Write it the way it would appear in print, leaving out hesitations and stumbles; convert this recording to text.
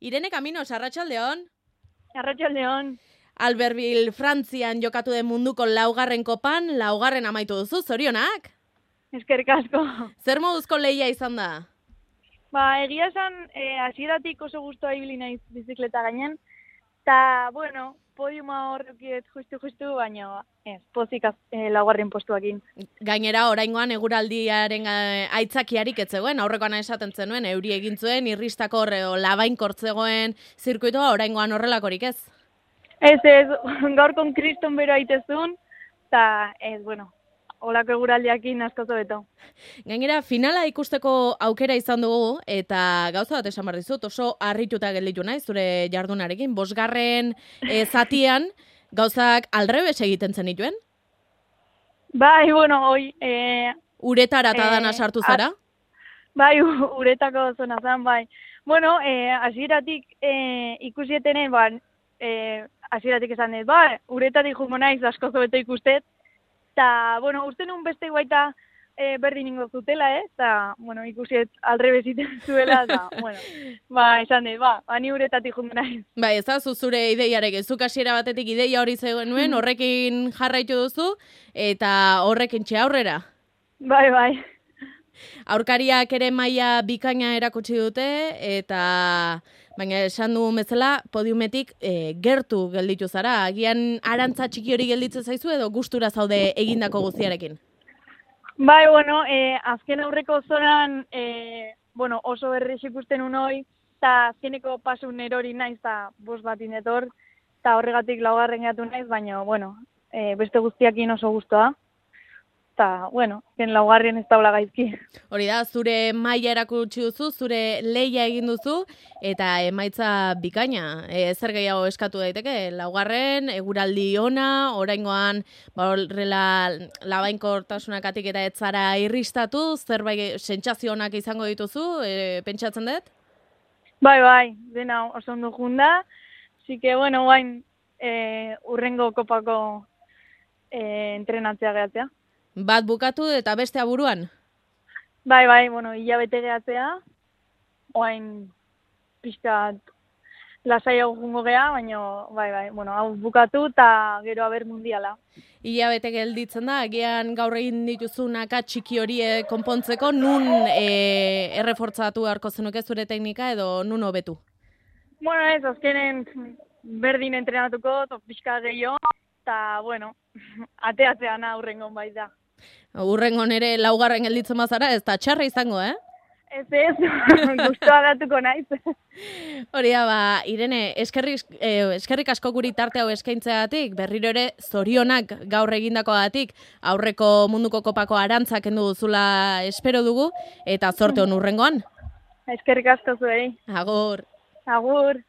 Irene Caminos, arratsaldeon. Arratsaldeon. Albertville, Frantzian jokatu den munduko laugarren kopan, laugarren amaitu duzu, zorionak? Eskerrik asko. Zer moduzko lehia izan da? Egia esan, hasieratik oso gustoa ibili naiz bizikleta gainen, eta, bueno, podiuma horrekiet justu, baina ez, pozik laugarren postuakin. Gainera, oraingoan eguraldiaren aitzakiarik ez zegoen, aurrekoan esaten zenuen, euri egin zuen, irristako labain kortzegoen zirkuitoa, oraingoan horrelakorik ez? Ez, gaurkon kriston bero aitezun, eta ez, bueno, holako eguraldiakin asko zobeto. Gainera, finala ikusteko aukera izan dugu, eta gauza bat esan behar dizut, oso harrituta gelditu naiz, zure jardunarekin, bosgarren zatian, gauzak aldrebes egiten zenituen? Bai, bueno, hoi... Uretara eta dana sartu zara? Bai, uretako zona zen, bai. Bueno, hasieratik ikusietenen, hasieratik esan dut, uretatik jungo naiz asko zobeto ikustet, eta, bueno, uste nun beste baita berdin ingo zutela, eta, bueno, ikusiet aldrebesiten zuela, eta, bueno, esan dut, ni uretatik jungo naiz. Ez da, zure ideiarekin, zuk hasiera batetik ideia hori zegoen, horrekin jarraitu duzu, eta horrekin aurrera. Bai. Aurkariak ere maila bikaina erakutsi dute, eta baina esan dugun bezala, podiumetik gertu gelditu zara. Agian arantza txiki hori gelditzen zaizu edo gustura zaude egindako guztiarekin? Bai, bueno, azken aurreko zonan oso berriz ikusten unoi, eta azkeneko pasun erori naiz, eta bost bat inetor, eta horregatik laugarren gatu naiz, baina, bueno, beste guztiakin oso gustoa. Eta, bueno, laugarren ez daula gaizki. Hori da, zure maila erakutsi duzu, zure lehia egin duzu, eta emaitza bikaina. Zer gehiago eskatu daiteke? Laugarren, eguraldi ona, oraingoan horrela labainkortasunakatik eta ez zara irristatu, zerbait sentsazio onak izango dituzu, pentsatzen dut? Bai, dena oso ondo junda. Así que, bueno, urrengo kopako entrenatzea gehatzea. Bat bukatu eta beste aburuan? Bai, bueno, hilabete gehatzea. Oain pixkat lasaiago jungo geha, baina, bai, bueno, hau bukatu eta gero aber mundiala. Hilabete gelditzen da, agian gaur egin dituzunaka txiki horie konpontzeko, nun errefortzatu beharko zenuke zure teknika edo nun hobetu? Bueno, ez, azkenen berdin entrenatuko, pixka gehiago, eta, bueno, ateatzean aurrengon bai da. Urrengon ere laugarren gelditzen bazara, ez da txarra izango, Ez, gustoa datuko naiz. Hori da, Irene, eskerrik asko guri tarte hau eskaintzeagatik, berriro ere zorionak gaur egindakoagatik, aurreko munduko kopako arantzak kendu duzula espero dugu, eta zorte hon urrengoan. Eskerrik asko zuei. Agur. Agur.